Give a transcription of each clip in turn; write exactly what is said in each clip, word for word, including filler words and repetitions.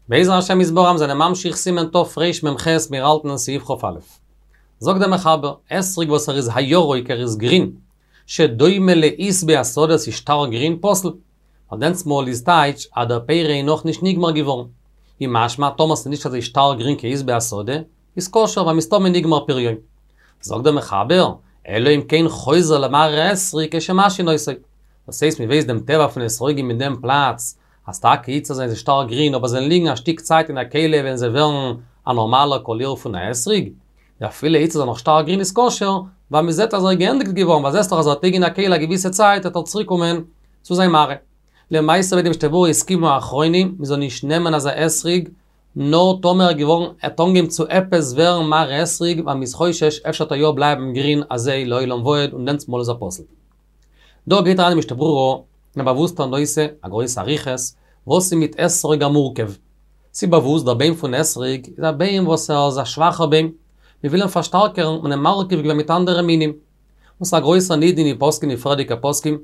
בעזר השם יתברך מיר זענען ממשיך סימן תרמ"ח מיר האלטן אין סעיף כ"א. זאגט דער מחבר, אתרוג וואס ער איז הירוק ער איז גרין, שדומה לעשבי השדה ס'איז שטארק גרין פסול, ווייל דענסטמאל איז טייטש אז דער פרי איז נאכנישט נגמר געווארן. איז משמע טאמער ס'איז נישט אזוי שטארק גרין כעשבי השדה, איז כשר ווייל מסתמא נגמר פריו. זאגט דער מחבר, אלא אם כן חוזר למראה אתרוג כשמשהין אותו. דאס הייסט מ'ווייסט דעם טבע פון אתרוגים אין דעם פלאץ, אז טאקע איצטער זענען זיי שטארק גרין אבער זיי ליגן א שטיק צייט אין א כלי וועלן זיי ווערן א נארמאלער קאליר פון א אתרוג, אפילו איצטער איז ער נאך שטארק גרין איז כשר, ווייל מ'זעט אז ער איז געענדיגט געווארן ווייל זעסט דאך אז ער וועט ליגן אין א כלי א געוויסע צייט וועט ער צוריק קומען צו זיין מראה. למעשה וועט די משנה ברורה הסכימו האחרונים מ'זאל נישט נעמען אזא אתרוג נאר טאמער ער געווארן ער האט אנגעהויבן צו עפעס ווערן מראה אתרוג ווייל מ'איז חושש אפשר וועט ער יא בלייבן גרין אזוי לעולם ועד און דענסטמאל איז ער פסול. דא גייט אריין די משנה ברורה אין א באוואוסטער נושא, א גרויסע אריכות, וואס איז מיט אתרוג המורכב? ס'איז באוואוסט דער ביים פון אתרוג איז א ביים וואס ער איז א שוואכער ביים, מ'וויל אים פארשטארקערן האט מען אים מרכיב געווען מיט אנדערע מינים. און ס'איז א גרויסער נידון אין פוסקים די פריערדיגע פוסקים,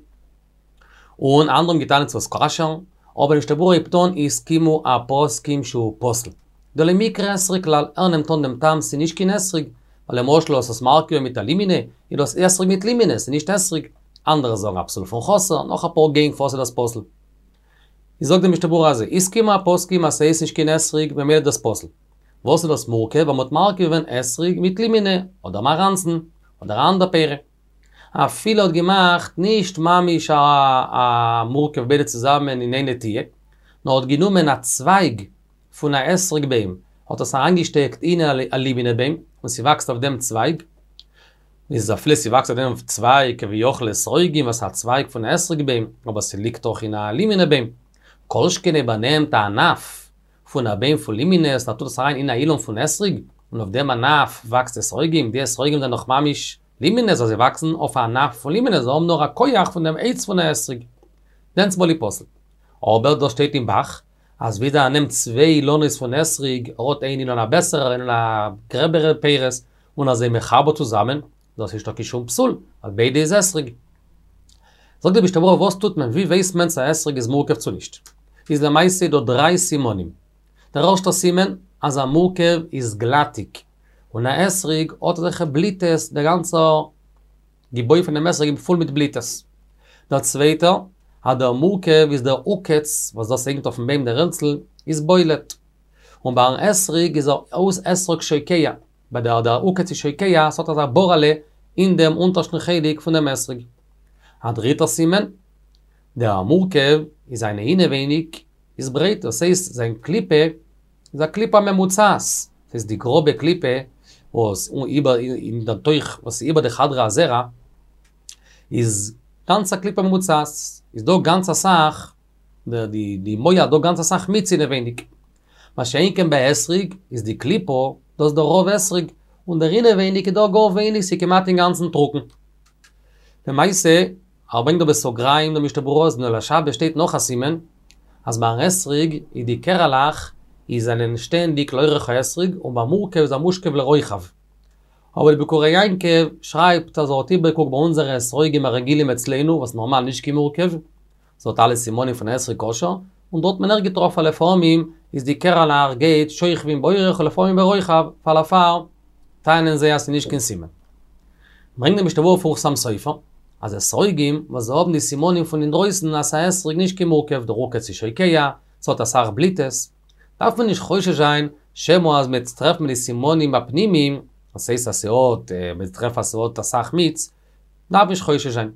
און אנדערע האבן געטענה'ט ס'איז כשר, אבער די משנה ברורה הייבט אן הסכימו הפוסקים שהוא פסול. דלא מיקרי אתרוג כלל, ער נעמט אן דעם טעם ס'איז נישט קיין אתרוג, ווייל למשל האסט עס מרכיב געווען מיט א לימינע, איז דאס אתרוג מיט לימינע, ס'איז נישט אתרוג. אנדערע זאגן א פסול פון חסר, נאך אפאר גענג פארוואס איז דאס פסול. איז זאגט די משנה ברורה אזוי, הסכימו הפוסקים אז ס'הייסט נישט קיין אתרוג ממילא איז דאס פסול. וואס איז דאס מורכב? ווייל מ'האט מרכיב געווען אתרוג מיט לימינע, אדער מאראנצן, אדער א אנדער פרי. אפילו האט געמאכט נישט ממש א א מורכב ביידע צוזאמען אין איין נטיעה, נאר האט גענומען א צווייג פון א אתרוג ביים, האט עס אריינגעשטעקט אין א לימינע ביים, און ס'וואקסט אויף דעם צווייג, איז אפילו ס'וואקסט אויף דעם צווייג כביכול אתרוגים וואס איז א צווייג פון א אתרוג ביים, אבער ס'ליגט דאך אין א לימינע ביים. כל שכן אויב ער נעמט א ענף פון א ביים פון לימינעס און ער טוט עס אריין אין א אילן פון אתרוג, און אויף דעם ענף וואקסט אתרוגים, די אתרוגים זענען דאך ממש לימינעס אז זיי וואקסן אויף א ענף פון לימינעס, זיי האבן נאר א כח פון דעם עץ פון א אתרוג. דענסטמאל איז פסול. אבער דא שטייט אין ב"ח, אז ווידער ער נעמט צוויי אילנות פון אתרוג, ער האט איין אילן א בעסערער איין אילן א גרעבערע פירות, און ער איז זיי מחבר צוזאמען, דאס איז נישטא קיין שום פסול, ווייל ביידע איז אתרוג. זאגט די משנה ברורה וואס טוט מען, ווי ווייסט מען צו א אתרוג איז מורכב צו נישט? איז למעשה דא דריי סימנים. דער ערשטער סימן, אז א מורכב איז גלאטיג, און א אתרוג האט אזעלכע בליטעס, דער גאנצער געבוי פונעם אתרוג איז פול מיט בליטעס. דער צווייטער, אז דער מורכב איז דער עוקץ, וואס דאס הענגט אויפן ביים דער העלצל, איז בולט. און ביים אתרוג איז ער אויס אתרוג שוקע, ביי דער דער עוקץ איז שוקע, ס'האט אזא בארעלע אין דעם אונטערשטן חלק פון דעם אתרוג. א דריטער סימן, דער מורכב איז זיינע אינעווייניג איז ברייט, דאס הייסט זיין קליפה איז א קליפה ממוצעת, ס'איז די גראבע קליפה וואס איבער אין דער תוך וואס איז איבער די חדרי הזרע איז גאנץ א קליפה ממוצעת, איז דא גאנץ אסאך די די מוח דא גאנץ אסאך מיץ אינעווייניג. מה שאין כן ביי אתרוג איז די קליפה דאס דער רוב אתרוג, און דער אינעווייניג איז דא גאר ווייניג ס'איז כמעט אינגאנצן טרוקן. למעשה, ער ברענגט דא בסוגריים די משנה ברורה אז אין אור לשבת שטייט נאך א סימן, אז ביים אתרוג איז די קערעלעך איז זענען שטענדיג לאורך האתרוג און ביים מורכב איז ער מושכב לרוחב. אבער די ביקורי יעקב שרייבט אז ער האט איבערגעקוקט ביי אונזערע אתרוגים הרגילים אצלינו וואס נארמאל נישט קיין מורכב, ס'האט אלע סימנים פון אתרוג כשר, און דארט האט מען אויך געטראפן לפעמים איז די קערעלעך גייט שוכבים באורך ולפעמים ברוחב, פאר דערפאר טענה'ן זיי אז ס'איז נישט קיין סימן. ברענגט די משנה ברורה פון חתם סופר, אז אתרוגים וואס זיי האבן די סימנים פון אינדרויסן אז ס'איז א אתרוג נישט קיין מורכב, דער עוקץ איז שוקע, ס'האט אסאך בליטעס, דארף מען נישט חושש זיין שמא אז מ'עט טרעפן די סימנים הפנימיים, דאס הייסט אז ס'האט, מ'עט טרעפן אז ס'האט אסאך מיץ, דארף מען נישט חושש זיין.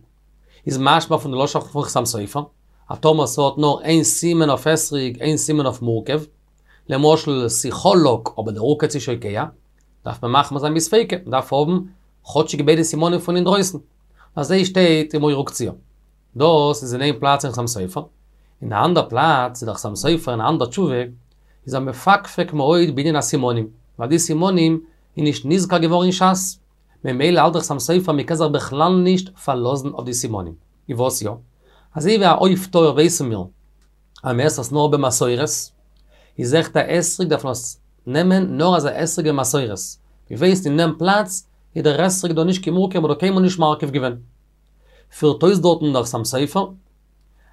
איז משמע פון די לשון פון חתם סופר, אז טאמער ס'האט נאר איין סימן אויף אתרוג איין סימן אויף מורכב, למשל ס'חלק אבער דער עוקץ איז שוקע, דארף מען מחמיר זיין מספיקא, מ'דארף האבן כאטשיג ביידע סימנים פון אינדרויסן. אזוי שטייט אין מור וקציעה. דאס איז אין איין פלאץ אין חתם סופר. אין א אנדער פלאץ איז דער חתם סופר אין א אנדער תשובה איז ער מפקפק מאוד בענין הסימנים, ווייל די סימנים איז נישט נזכר געווארן אין שס, ממילא האלט דער חתם סופר מען קען זיך בכלל נישט פארלאזן אויף די סימנים. איז וואס יא? אזוי ווי א עוף טהור ווייסן מיר אז מען עסט עס נאר במסורת, איז אויכעט א אתרוג דארף מען עס נעמען נאר אז א אתרוג במסורת. מען ווייסט אין דעם פלאץ איז דער אתרוג דא נישט קיין מורכב מ'האט דא קיינמאל נישט מרכיב געווען. פירט אויס דארטן דער חתם סופר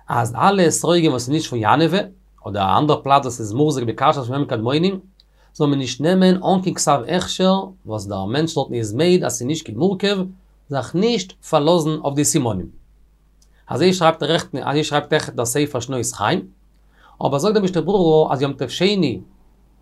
אז אלע אתרוגים וואס איז נישט פון יאנעווע, אדער א אנדער פלאץ וואס איז מוחזק בכשרות פון ימים קדמונים, זאל מען נישט נעמען אן קיין כתב הכשר וואס דער מענטש דארטן איז מעיד אז ס'איז נישט קיין מורכב, זיך נישט פארלאזן אויף די סימנים. אזוי שרייבט רעכט, אזוי שרייבט אויכעט דער ספר שנות חיים, אבער זאגט דער משנה ברורה אז יום טוב שני,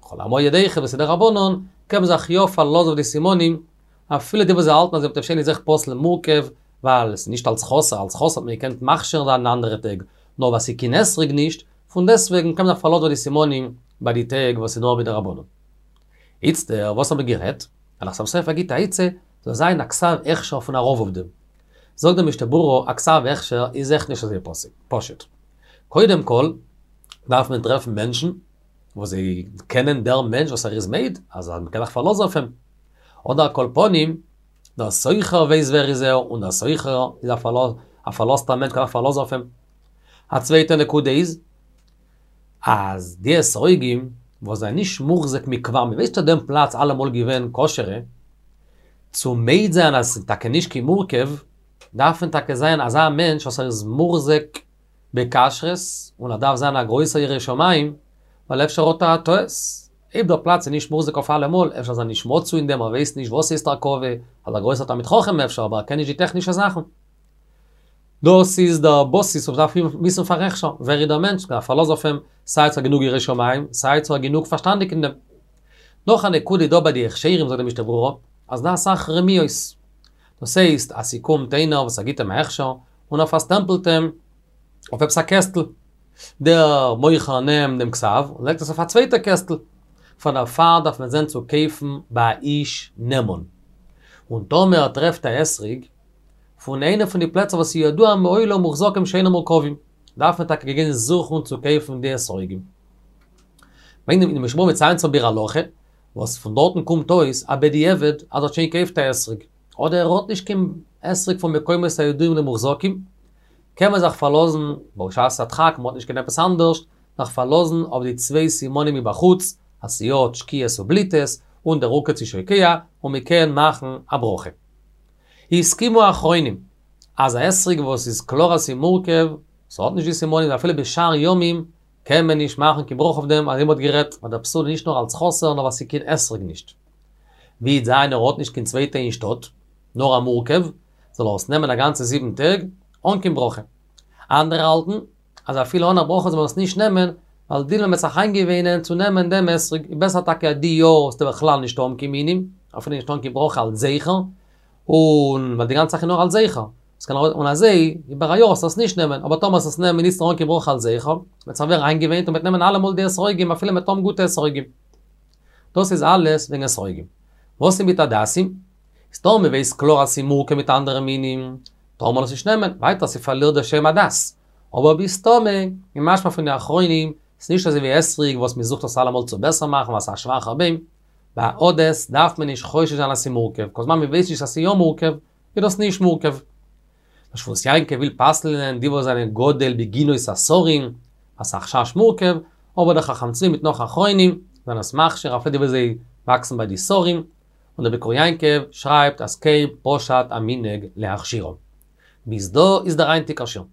חול המועד אויכעט וואס איז דרבנן, קען מען זיך יא פארלאזן אויף די סימנים, אפילו די וואס זיי האלטן אז יום טוב שני איז אויך פסול מורכב, ווייל עס איז נישט אלס חסר, אלס חסר האט מען געקענט מכשיר זיין אנדערע טעג, נאר ווייל ס'איז קיין אתרוג נישט, פון דעסטוועגן קען מען זיך פארלאזן אויף די סימנים ביי די טעג וואס איז נאר מדרבנן. איצטער, וואס האט מען גערעדט? דער חתם סופר גיט א עצה, זאל זיין א כתב הכשר פון א רב אויף דעם. זאגט דער משנה ברורה, א כתב הכשר איז עכט נישט אזוי פשוט. קודם כל, דארף מען טרעפן מענטשן וואס זיי קענען דער מענטש וואס ער איז מעיד, אז מען קען זיך פארלאזן אויף אים. אדער על כל פנים, דער סוחר ווייסט ווער איז ער, און דער סוחר איז א פארלאזטער מענטש קען זיך פארלאזן אויף אים. א צווייטע נקודה איז, אז די אתרוגים וואס זענען נישט מוחזק מכבר, מען ווייסט אז דעם פלאץ אלעמאל געווען כשר'ע, צו מעיד זיין אז ס'איז טאקע נישט קיין מורכב, דארף מען טאקע זיין אזא מענטש וואס ער איז מוחזק בכשרות, און ער דארף זיין א גרויסער ירא שמים, ווייל אפשר האט ער א טעות. אויב דער פלאץ איז נישט מוחזק אויף אלעמאל, אפשר איז ער נישט מצוי אין דעם, ער ווייסט נישט וואס הייסט הרכבה, אז א גרויסער תלמיד חכם אפשר, אבער ער קען נישט די טעכנישע זאכן. דאס איז דער בסיס וואס מ'דארף וויסן פאר הכשר, ווער איז דער מענטש, מ'דארף פארלאזן אויף אים, סיי צו ער גענוג ירא שמים, סיי צו ער גענוג פארשטאנדיג אין דעם. נאך א נקודה איז דא ביי די הכשרים זאגט די משנה ברורה, אז דא אסאך רמיות. דאס הייסט אז ס'קומט איינער וואס ער גיט אים א הכשר, און ער פארסטעמפלט אים אויף עפעס א קעסטל. דער מוכר נעמט דעם כתב און לייגט עס אויף א צווייטע קעסטל. פאר דערפאר דארף מען זען צו קויפן ביי א איש נאמן. און טאמער ער טרעפט א אתרוג פון איינע פון די פלעצער וואס איז ידוע מעולם מוחזקים שאינם מורכבים, דארף מען טאקע גיין זוכן צו קויפן די אתרוגים. ברענגט די משנה ברורה מציין צו ביאור הלכה, וואס פון דארטן קומט אויס א בדיעבד אז ער האט שוין געקויפט א אתרוג, אדער ער האט נישט קיין אתרוג פון מקומות הידועים למוחזקים, קען מען זיך פארלאזן, בשעת הדחק, מען האט נישט קיין עפעס אנדערש, זיך פארלאזן אויף די צוויי סימנים מבחוץ, אז ס'האט שקיעות ובליטות, און דער עוקץ איז שוקע, און מען קען מאכן א ברכה. הסכימו האחרונים, אז א אתרוג וואס איז קלאר אז ס'איז מורכב, ס'האט נישט די סימנים אפילו בשאר ימים, קען מען נישט מאכן קיין ברכה אויף דעם, אזוי מ'האט גערעדט, ווייל דער פסול איז נישט נאר אלס חסר נאר ווייל ס'איז קיין אתרוג נישט. ווי איז איינער האט נישט קיין צווייטע אין שטאט, נאר א מורכב, זאל ער עס נעמען א גאנצע זיבן טעג, אן קיין ברכה. אנדערע האלטן, אז אפילו אן א ברכה זאל מען עס נישט נעמען, ווייל דילמא מ'וועט זיך איינגעוואינען צו נעמען דעם אתרוג, איז בעסער טאקע אז די יאר זאלסטו בכלל נישט האבן קיין מינים, אפילו נישט אן קיין ברכה אלס זכר, און ווייל די גאנצע זאך איז נאר אלס זכר, עס קען און אזוי איבער א יאר זאלסטו עס נישט נעמען, אבער טאמער זאלסט עס נעמען איצטער אן קיין ברכה אלס זכר, וועט זיך ווערן איינגעוואינט און מ'וועט נעמען אלעמאל די אתרוגים אפילו מ'וועט האבן גוטע אתרוגים. דאס איז אלעס וועגן אתרוגים. וואס איז מיט הדסים? איז טאמער מ'ווייסט קלאר אז ס'איז מורכב מיט אנדערע מינים, טאר מען עס נישט נעמען, ווייטער ס'פארלירט די שם הדס. אבער בסתמא, איז משמע פון די אחרונים, ס'איז נישט אזוי ווי אתרוג וואס מ'זוכט עס אלעמאל צו בעסער מאכן ווייל ס'איז א שוואכער בוים, ביי הדס דארף מען נישט חושש זיין אז ס'איז מורכב, כל זמן מ'ווייסט נישט אז ס'איז יא מורכב, איז דאס נישט מורכב. דער שבות יעקב וויל פסל'נען די וואס זענען גדל בגינות השרים, אז ס'איז א חשש מורכב, אבער דער חכם צבי מיט נאך אחרונים זענען עס מכשיר אפילו די וואס זיי וואקסן ביי די שרים, און דער ביקור יעקב שרייבט אז כן פשט המנהג להכשירם. ביז דא איז דער היינטיגער שיעור.